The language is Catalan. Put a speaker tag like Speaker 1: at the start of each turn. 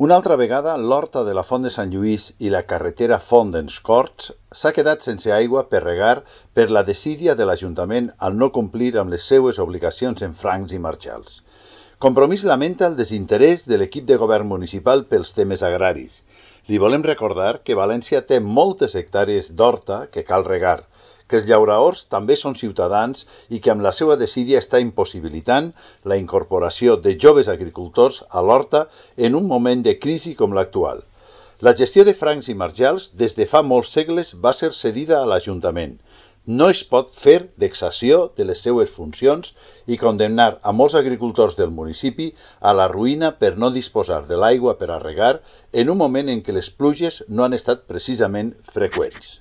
Speaker 1: Una altra vegada, l'horta de la Font de Sant Lluís i la carretera Font d'ens Corts s'ha quedat sense aigua per regar per la desídia de l'Ajuntament al no complir amb les seues obligacions en francs i marxals. Compromís lamenta el desinterès de l'equip de govern municipal pels temes agraris. Li volem recordar que València té moltes hectàrees d'horta que cal regar, que els llauraors també són ciutadans i que amb la seva desídia està impossibilitant la incorporació de joves agricultors a l'horta en un moment de crisi com l'actual. La gestió de francs i marjals des de fa molts segles va ser cedida a l'Ajuntament. No es pot fer vexació de les seues funcions i condemnar a molts agricultors del municipi a la ruïna per no disposar de l'aigua per a regar en un moment en què les pluges no han estat precisament freqüents.